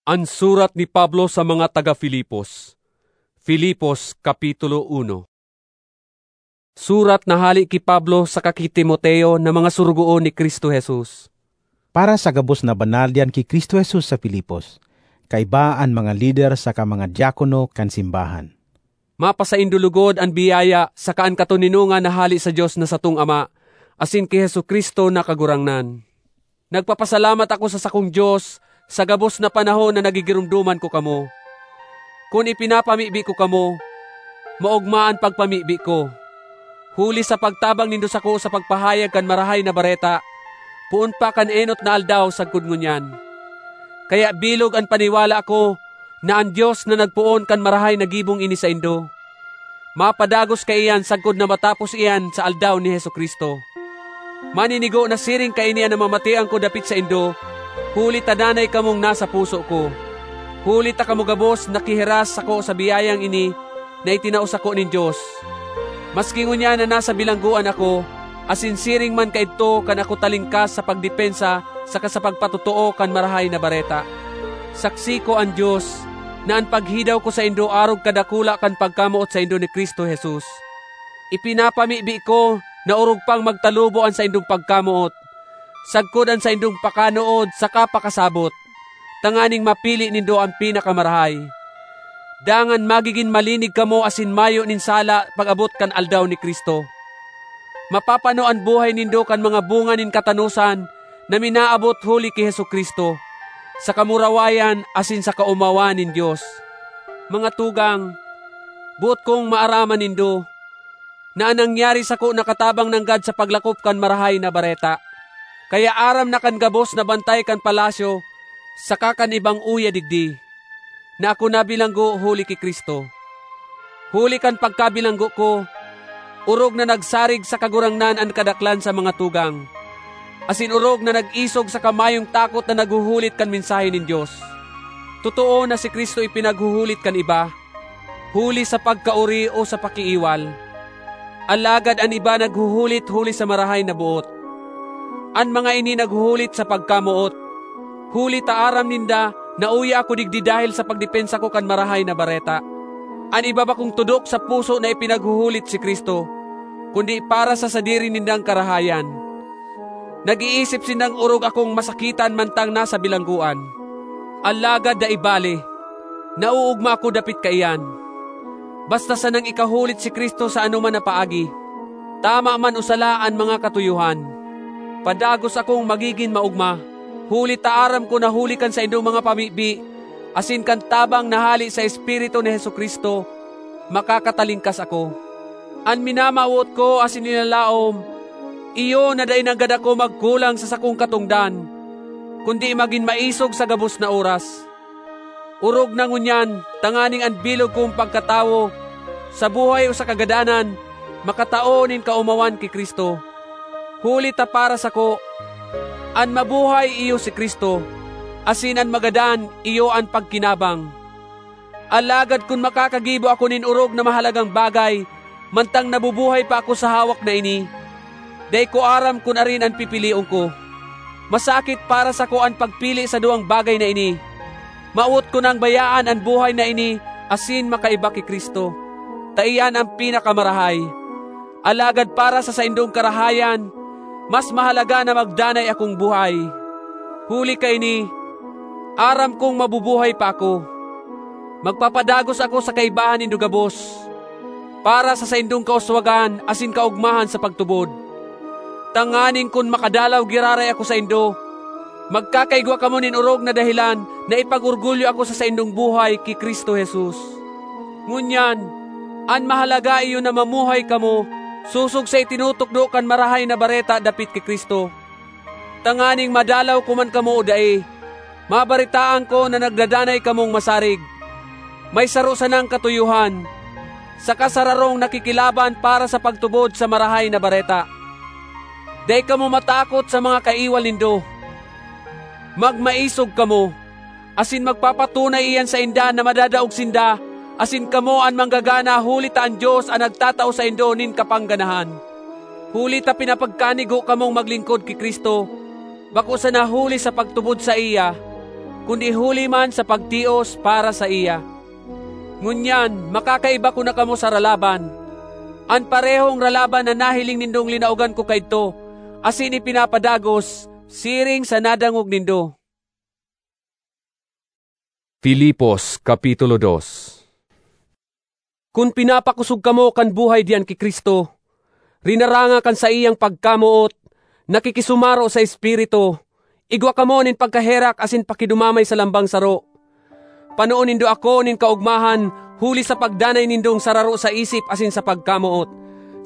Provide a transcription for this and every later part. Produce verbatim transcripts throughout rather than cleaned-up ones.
An surat ni Pablo sa mga taga Filipos. Filipos, Kapitulo uno. Surat na hale ki Pablo saka ki Timoteo na mga sorogoon ni Cristo Jesus. Para sa gabos na banal diyan ki Cristo Jesus sa Filipos, kaiba an mga lider saka mga diakono kan simbahan. Mapasaindo logod an biyaya saka an katoninongan na hale sa Dios na satong Ama asin ki Jesu-Cristo na Kagurangnan. Nagpapasalamat ako sa sakong Dios sa gabos na panahon na nagigiromdoman ko kamo. Kun ipinapamibi ko kamo, maogma an pagpamibi ko, huli sa pagtabang nindo sako sa pagpahayag kan Marahay na Bareta, poon pa kan enot na aldaw sagkod ngunyan. Kaya bilog an paniwala ko na an Dios na nagpoon kan marahay na gibong ini saindo, mapadagos kaiyan sagkod na matapos iyan sa aldaw ni Jesu-Cristo. Maninigo na siring kaini an namamatean ko dapit saindo, huli ta danay kamong nasa puso ko. Huli ta kamo gabos nakihiras sako sa biyayang ini na itinao sako nin Dios. Maski ngunyan na nasa bilanggoan ako, asin siring man kaidto kan ako talingkas sa pagdepensa saka sa pagpatotoo kan Marahay na Bareta. Saksi ko an Dios, na an paghidaw ko saindo arog kadakula kan pagkamoot saindo ni Cristo Jesus. Ipinapamibi ko na orog pang magtalubo an saindong pagkamoot, sagkod an saindong pakanood saka pakasabot, tanganing mapili nindo an pinakamarahay. Dangan magigin malinig kamo asin mayo nin sala pag-abot kan aldaw ni Cristo. Mapapano an buhay nindo kan mga bunga nin katanosan na minaabot huli ki Jesu-Cristo, sa kamurawayan asin sa kaomawan nin Dios. Mga tugang, boot kong maaraman nindo na an nangyari sako nakatabang nanggad sa paglakop kan Marahay na Bareta. Kaya aram na kan gabos na bantay kan palasyo saka kan ibang uya digdi, na ako nabilanggo huli ki Cristo. Huli kan pagkabilanggo ko, orog na nagsarig sa Kagurangnan an kadaklan sa mga tugang, asin orog na nag-isog sa kamayong takot na naghuhulit kan mensahe nin Dios. Totoo na si Cristo ipinaghuhulit kan iba, huli sa pagkaori o sa pakiiwal. Alagad an iba naghuhulit huli sa marahay na boot. An mga ini naghuhulit sa pagkamoot, huli ta aram ninda na uya ako digdi dahel sa pagdepensa ko kan Marahay na Bareta. An iba bakong tudok sa puso na ipinaghuhulit si Cristo, kundi para sa sadiri nindang karahayan. Nag-iisip sindang orog akong masakitan mantang nasa bilanggoan. Alagad dai bale, nauugma ako dapit kaiyan. Basta sanang ikahulit si Cristo sa anoman na paagi, tama man o sala an mga katuyohan. Padagos akong magigin maogma, huli ta aram ko na huli kan saindong mga pamibi asin kan tabang na hale sa Espiritu ni Jesu-Cristo, makakatalingkas ako. An minamawot ko asin linalaom, iyo na dai nanggad ako magkulang sa sakong katongdan, kundi magin maisog sa gabos na oras. Orog na ngunyan tanganing an bilog kong pagkatawo, sa buhay o sa kagadanan, makatao nin kaomawan ki Cristo. Huli ta para sako, an mabuhay iyo si Cristo, asin an magadan iyo an pagkinabang. Alagad kun makakagibo ako nin orog na mahalagang bagay, mantang nabubuhay pa ako sa hawak na ini, dai ko aram kun arin an pipilion ko. Masakit para sako an pagpili sa duwang bagay na ini. Mawot ko nang bayaan an buhay na ini asin makaiba ki Cristo, ta iyan an pinakamarahay. Alagad para sa saindong karahayan, mas mahalaga na magdanay akong buhay. Huli kaini, aram kong mabubuhay pa ako. Magpapadagos ako sa kaibahan nindo gabos, para sa saindong kauswagan asin kaogmahan sa pagtubod, tanganing kun makadalaw giraray ako saindo, magkakaigwa kamo nin orog na dahelan na ipag-orgulyo ako sa saindong buhay ki Cristo Jesus. Ngunyan, an mahalaga iyo na mamuhay kamo sosog sa itinutukdo kan Marahay na Bareta dapit ki Cristo, tanganing madalaw ko man kamo o dai, mabaretaan ko na nagdadanay kamong masarig. May saro sanang katuyohan, saka sararong nakikilaban para sa pagtubod sa Marahay na Bareta. Dai kamo matakot sa mga kaiwal nindo. Magmaisog kamo, asin magpapatunay iyan sainda na madadaog sinda, asin kamo an manggagana, huli ta an Dios an nagtatao saindo nin kapangganahan. Huli ta pinapagkanigo kamong maglingkod ki Cristo, bako sana huli sa pagtubod saiya, kundi huli man sa pagtios para saiya. Ngunyan, makakaiba ko na kamo sa ralaban, an parehong ralaban na nahiling nindong linaogan ko kaidto, asin ipinapadagos, siring sa nadangog nindo. Filipos, Kapitulo dos. Kun pinapakosog kamo kan buhay diyan ki Cristo, rinaranga kan saiyang pagkamoot, nakikisumaro sa Espiritu, igwa kamo nin pagkaherak asin pakidumamay sa lambang saro. Panoon nindo ako nin kaogmahan huli sa pagdanay nindong sararo sa isip asin sa pagkamoot,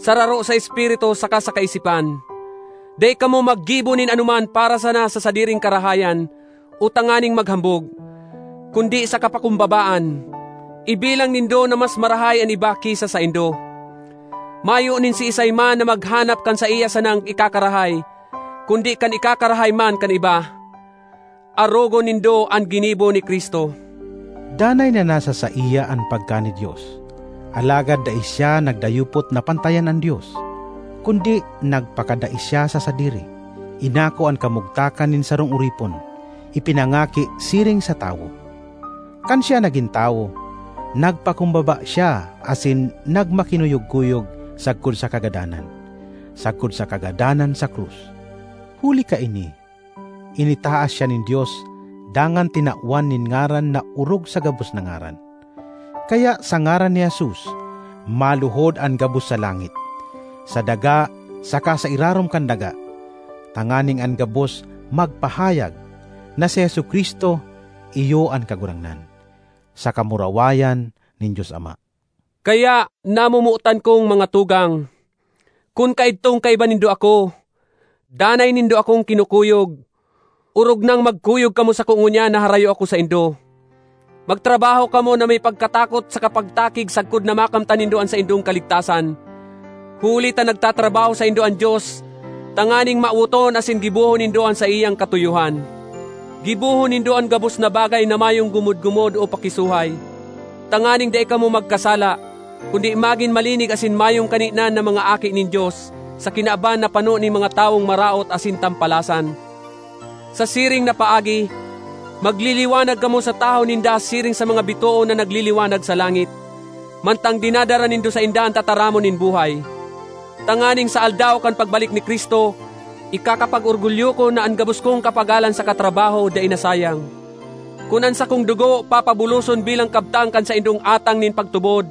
sararo sa espiritu saka sa kaisipan. Dai kamo maggibo nin anoman para sana sa sadiring karahayan o tanganing maghambog, kundi sa kapakumbabaan. Ibilang nindo na mas marahay an iba ki sa saindo. Mayo nin siisay man na maghanap kan saiya sanang ikakarahay, kundi kan ikakarahay man kan iba. Arogon nindo an ginibo ni Cristo. Danay na nasa saiya an pagka nin Dios, alagad dai siya nagdayupot na pantayan an Dios, kundi nagpakadai siya sa sadiri, inako an kamugtakan nin sarong oripon, ipinangaki siring sa tawo. Kan siya nagin tawo, nagpakumbaba siya asin nagmakinuyog-kuyog sagkod sa kagadanan, sagkod sa kagadanan sa krus. Huli kaini, initaas siya nin Dios, dangan tinawan nin ngaran na orog sa gabos na ngaran. Kaya sa ngaran ni Jesus, maluhod an gabos sa langit, sa daga, saka sa irarom kan daga, tanganing an gabos magpahayag na si Jesu-Cristo iyo an Kagurangnan, sa kamurawayan nin Dios Ama. Kaya, namomotan kong mga tugang, kun kaidtong kaiba nindo ako, danay nindo akong kinukuyog, orog nang magkuyog kamo sako ngunyan na harayo ako saindo. Magtrabaho kamo na may pagkatakot sa kapagtakig sagkod na makamtan nindo an saindong kaligtasan. Huli ta nagtatrabaho saindo an Dios, tanganing mawoton asin gibohon nindo an saiyang katuyohan. Gibohon nindo an gabos na bagay na mayong gumod-gumod o pakisuhay, tanganing dai kamo magkasala, kundi magin malinig asin mayong kaninan na mga aki nin Dios, sa kinaban na pano nin mga tawong maraot asin tampalasan. Sa siring na paagi, magliliwanag kamo sa tahaw ninda siring sa mga bitoon na nagliliwanag sa langit, mantang dinadara nindo sainda an tataramon nin buhay. Tanganing sa aldaw kan pagbalik ni Cristo, ikakapag-orgulyo ko na an gabos kong kapagalan sa katrabaho dai nasayang. Kun an sakong dugo papabuloson bilang kabtang kan saindong atang nin pagtubod,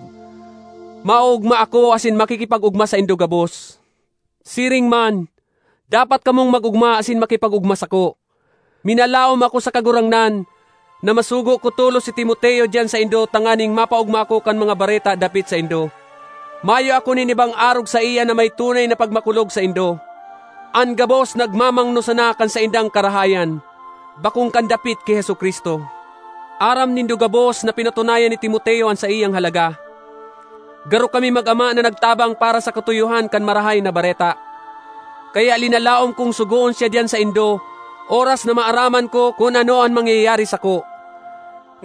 maoogma ako asin makikipag-ogma saindo gabos. Siring man, dapat kamong mag-ogma asin makipag-ogma sako. Minalaom ako sa Kagurangnan na masugo ko tolos si Timoteo diyan saindo tanganing mapaogma ako kan mga bareta dapit saindo. Mayo ako nin ibang arog saiya na may tunay na pagmakulog saindo. An gabos nagmamangno sana kan saindang karahayan, bakong kan dapit ki Jesu-Cristo. Aram nindo gabos na pinatunayan ni Timoteo an saiyang halaga. Garo kami mag-ama na nagtabang para sa katuyohan kan Marahay na Bareta. Kaya linalaom kong sugoon siya diyan saindo, oras na maaraman ko kun ano an mangyayari sako.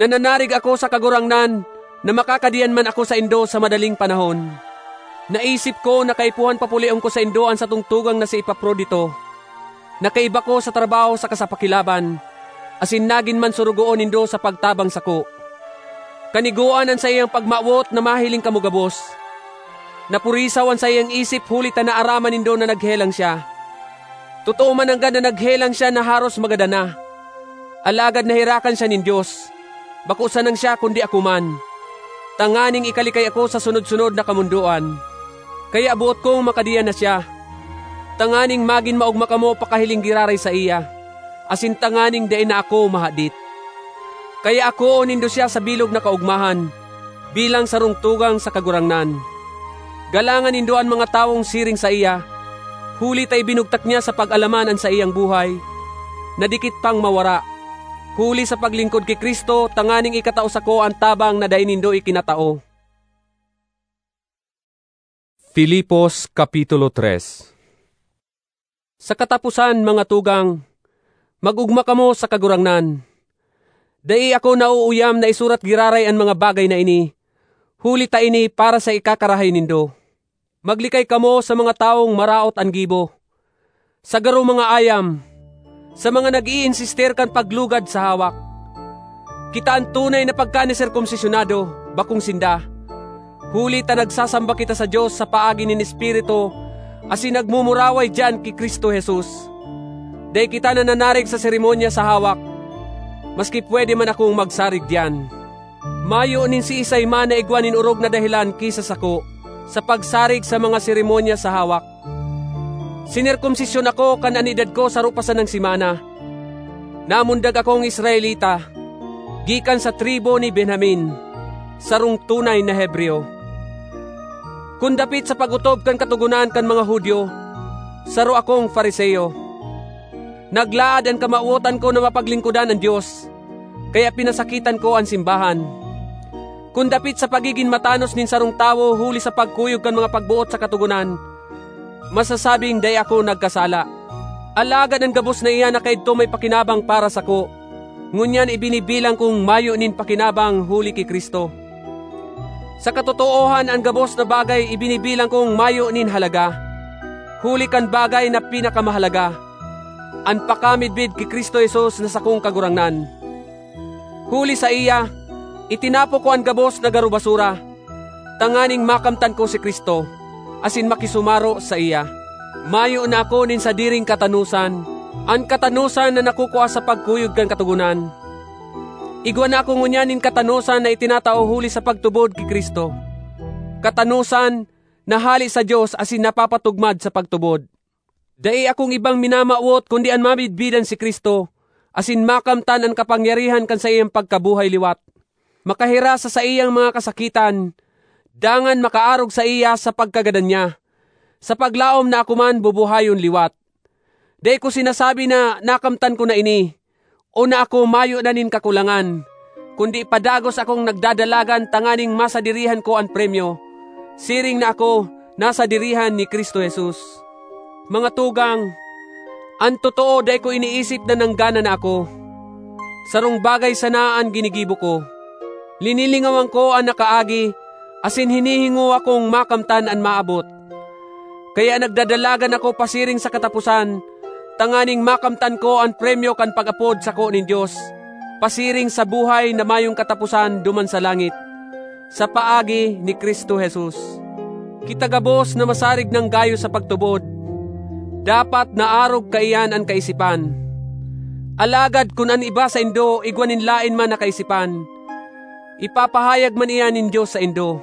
Nananarig ako sa Kagurangnan na makakadiyan man ako saindo sa madaling panahon. Naisip ko na kaipuhan papulion ko saindo an satong tugang na si Epafrodito, na kaiba ko sa trabaho saka sa pakilaban, asin nagin man sorogoon nindo sa pagtabang sako. Kanigoan an saiyang pagmawot na mahiling kamo gabos. Napurisaw an saiyang isip huli ta naaraman nindo na naghelang siya. Totoo man nanggad na naghelang siya na haros magadan na. Alagad naherakan siya nin Dios, bako sanang siya kundi ako man, tanganing ikalikay ako sa sunod-sunod na kamondoan. Kaya boot kong makadiyan na siya, tanganing magin maogma kamo pakahiling giraray saiya, asin tanganing dai na ako mahadit. Kaya akoon nindo siya sa bilog na kaogmahan, bilang sarong tugang sa Kagurangnan. Galangan nindo an mga tawong siring saiya, huli ta ibinugtak niya sa pag-alaman an saiyang buhay, na dikit pang mawara, huli sa paglingkod ki Cristo tanganing ikatao sako an tabang na dai nindo ikinatao. Filipos, Kapitulo tres. Sa kataposan, mga tugang, mag-ogma kamo sa Kagurangnan. Dai ako nauuyam na isurat giraray an mga bagay na ini, huli ta ini para sa ikakarahay nindo. Maglikay kamo sa mga tawong maraot an gibo, sa garo mga ayam, sa mga nag-iinsistir kan paglugad sa hawak. Kita an tunay na pagkaniserkomsisyonado, bakong sinda. Huli ta nagsasamba kita sa Dios sa paagi nin Espiritu, asin nagmumuraway diyan ki Cristo Jesus. Dai kita nananarig sa seremonya sa hawak, maski pwede man akong magsarig diyan. Mayo nin siisay man na igwa nin orog na dahelan ki sa sako, sa pagsarig sa mga seremonya sa hawak. Sinerkomsisyon ako kan an edad ko saro pa sanang semana. Namundag akong Israelita, gikan sa tribu ni Benjamin, sarong tunay na Hebreo. Kun dapit sa pag-otob kan Katogonan kan mga Judio, saro akong Fariseo. Naglaad an kamawotan ko na mapaglingkodan an Dios, kaya pinasakitan ko an simbahan. Kun dapit sa pagigin matanos nin sarong tawo huli sa pagkuyog kan mga pagboot sa Katogonan, masasabing dai ako nagkasala. Alagad an gabos na iyan na kaidto may pakinabang para sako, ngunyan ibinibilang kong mayo nin pakinabang huli ki Cristo. Sa katotoohan, an gabos na bagay ibinibilang kong mayo nin halaga, huli kan bagay na pinakamahalaga, an pakamidbid ki Cristo Jesus na sakong Kagurangnan. Huli saiya, itinapo ko an gabos na garo basura, tanganing makamtan ko si Cristo, asin makisumaro saiya. Mayo na ako nin sadiring katanosan, an katanosan na nakukua sa pagkuyog kan Katogonan. Igwa na ako ngunyan nin katanosan na itinatao huli sa pagtubod ki Cristo, katanosan na hale sa Dios asin napapatugmad sa pagtubod. Dai akong ibang minamawot kundi an mamidbidan si Cristo, asin makamtan an kapangyarihan kan saiyang pagkabuhay liwat, makahiras sa saiyang mga kasakitan, dangan makaarog saiya sa pagkagadan niya, sa paglaom na ako man bubuhayon liwat. Dai ko sinasabi na nakamtan ko na ini, o na ako mayo na nin kakulangan, kundi padagos akong nagdadalagan tanganing masadirihan ko an premyo, siring na ako nasadirihan ni Cristo Jesus. Mga tugang, an totoo, dai ko iniisip na nanggana na ako. Sarong bagay sana an ginigibo ko. Linilingawan ko an nakaagi, asin hinihingowa kong makamtan an maabot. Kaya nagdadalagan ako pasiring sa kataposan, tanganing makamtan ko an premyo kan pag-apod sako nin Dios, pasiring sa buhay na mayong kataposan duman sa langit, sa paagi ni Cristo Jesus. Kita gabos na masarig nang gayo sa pagtubod, dapat naarog kaiyan an kaisipan. Alagad kun an iba saindo igwa nin laen man na kaisipan, ipapahayag man iyan nin Dios saindo.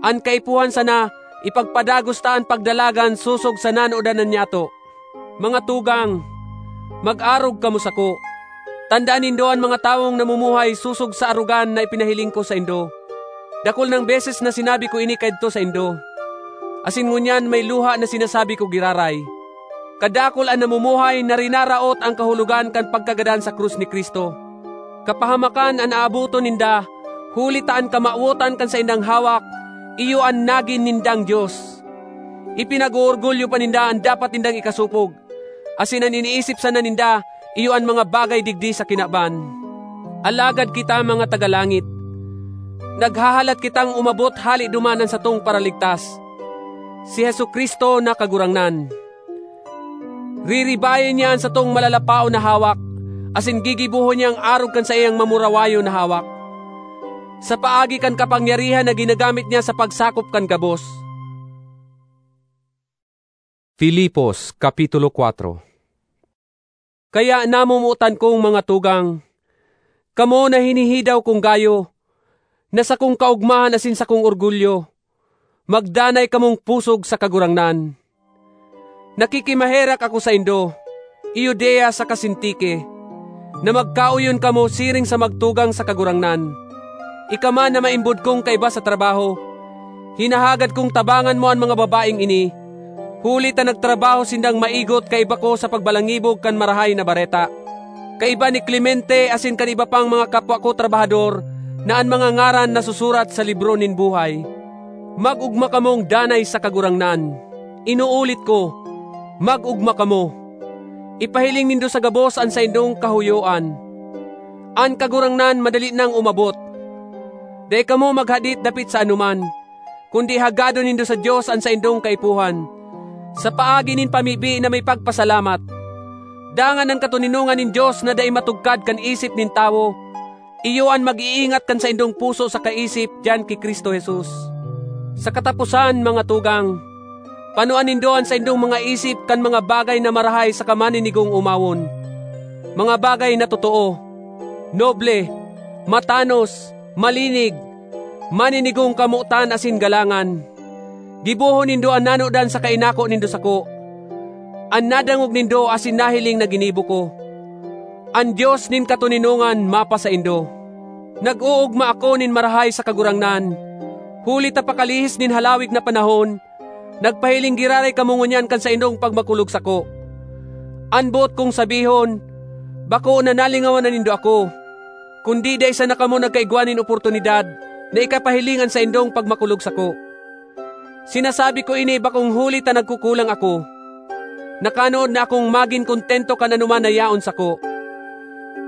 An kaipuhan sana, ipagpadagos ta an pagdalagan sosog sa nanodan na nyato. Mga tugang, mag-arog kamo sako. Tandaan nindo an mga tawong namumuhay sosog sa arogan na ipinahiling ko saindo. Dakul nang beses na sinabi ko ini kaidto saindo, asin ngunyan may luha na sinasabi ko giraray. Kadakul an namumuhay na rinaraot an kahulogan kan pagkagadan sa krus ni Cristo. Kapahamakan an aaboton ninda, huli ta an kamawotan kan saindang hawak, iyo an nagin nindang dios. Ipinag-oorgulyo pa ninda an dapat nindang ikasopog, asin an iniisip sana ninda iyo an mga bagay digdi sa kinaban. Alagad kita, mga tagalangit, naghahalat kitang umabot hale duman an satong Paraligtas, si Jesu-Cristo na Kagurangnan. Riribayon niya an satong malalapaon na hawak, asin gigibohon niyang arog kan saiyang mamurawayon na hawak, sa paagi kan kapangyarihan na ginagamit niya sa pagsakop kan gabos. Filipos, Kapitulo kuwatro. Kaya, namomotan kong mga tugang, kamo na hinihidaw kong gayo, na sakong kaogmahan asin sakong orgulyo, magdanay kamong pusog sa Kagurangnan. Nakikimaherak ako saindo, Euodia saka Sintique, na magkaoyon kamo siring sa magtugang sa Kagurangnan. Ika man na maimbod kong kaiba sa trabaho, hinahagad kong tabangan mo an mga babaeng ini, huli ta nagtrabaho sindang maigot kaiba ko sa pagbalangibog kan Marahay na Bareta. Kaiba ni Clemente asin kan iba pang mga kapwa ko trabahador na an mga ngaran nasusurat sa libro nin buhay. Mag-ogma kamong danay sa Kagurangnan. Inuulit ko, mag-ogma kamo. Ipahiling nindo sa gabos an saindong kahuyoan. An Kagurangnan madali nang umabot. Dai kamo maghadit dapit sa anoman, kundi hagadon nindo sa Dios an saindong kaipuhan, sa paagi nin pamibi na may pagpasalamat. Dangan an katoninongan nin Dios na dai matugkad kan isip nin tawo, iyo an mag-iingat kan saindong puso saka isip diyan ki Cristo Jesus. Sa kataposan, mga tugang, panuan nindo an saindong mga isip kan mga bagay na marahay saka maninigong omawon, mga bagay na totoo, noble, matanos, malinig, maninigong kamotan asin galangan. Gibohon nindo an nanodan saka inako nindo sako, an nadangog nindo asin nahiling na ginibo ko. An Dios nin katoninongan mapasaindo. Nag-oogma ako nin marahay sa Kagurangnan, huli ta pakalihis nin halawig na panahon, nagpahiling giraray kamo ngunyan kan saindong pagmakulog sako. An boot kong sabihon, bako na nalingawan na nindo ako, kundi dai sana kamo nagkaigwa nin oportunidad na ikapahiling an saindong pagmakulog sako. Sinasabi ko ini bakong huli ta nagkukulang ako. Nakanood na akong magin kontento kan anoman na yaon sako.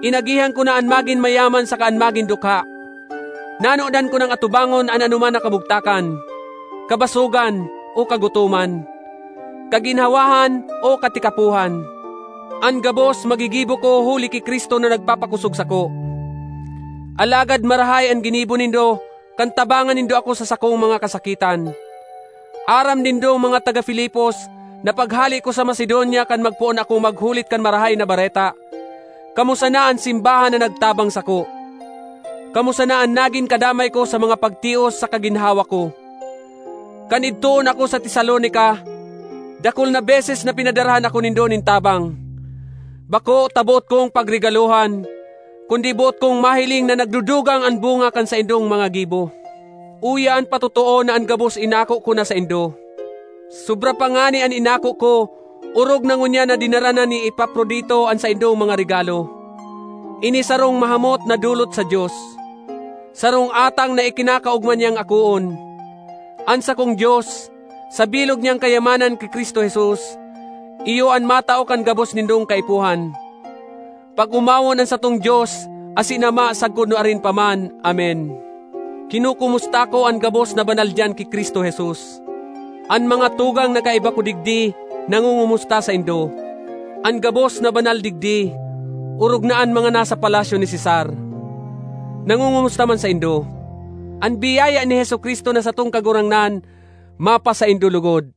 Inagihan ko na an magin mayaman saka an magin dukha. Nanodan ko nang atubangon an anoman na kamugtakan, kabasogan o kagutoman, kaginhawahan o katikapohan. An gabos magigibo ko huli ki Cristo na nagpapakosog sako. Alagad marahay an ginibo nindo kan tabangan nindo ako sa sakong mga kasakitan. Aram nindo, mga taga Filipos, na paghale ko sa Macedonia kan magpoon ako maghulit kan Marahay na Bareta, kamo sana an simbahan na nagtabang sako. Kamo sana an nagin kadamay ko sa mga pagtios sa kaginhawa ko. Kan idtoon ako sa Tesalonica, dakul na beses na pinadarahan ako nindo nin tabang. Bako ta boot kong pagregalohan, kundi boot kong mahiling na nagdudugang an bunga kan saindong mga gibo. Uya an patotoo na an gabos inako ko na saindo. Sobra pa ngani an inako ko, orog na ngunyan na dinara na ni Epafrodito an saindong mga regalo. Ini sarong mahamot na dolot sa Dios, sarong atang na ikinakaogma niyang akoon. An sakong Dios, sa bilog niyang kayamanan ki Cristo Jesus, iyo an matao kan gabos nindong kaipuhan. Pag-omawon an satong Dios asin Ama sagkod nuarin pa man. Amen. Kinukumusta ko an gabos na banal diyan ki Cristo Jesus. An mga tugang na kaiba ko digdi nangungumusta saindo. An gabos na banal digdi, orog na an mga nasa palasyo ni Cesar, nangungumusta man saindo. An biyaya ni Jesu-Cristo na satong Kagurangnan mapasaindo logod.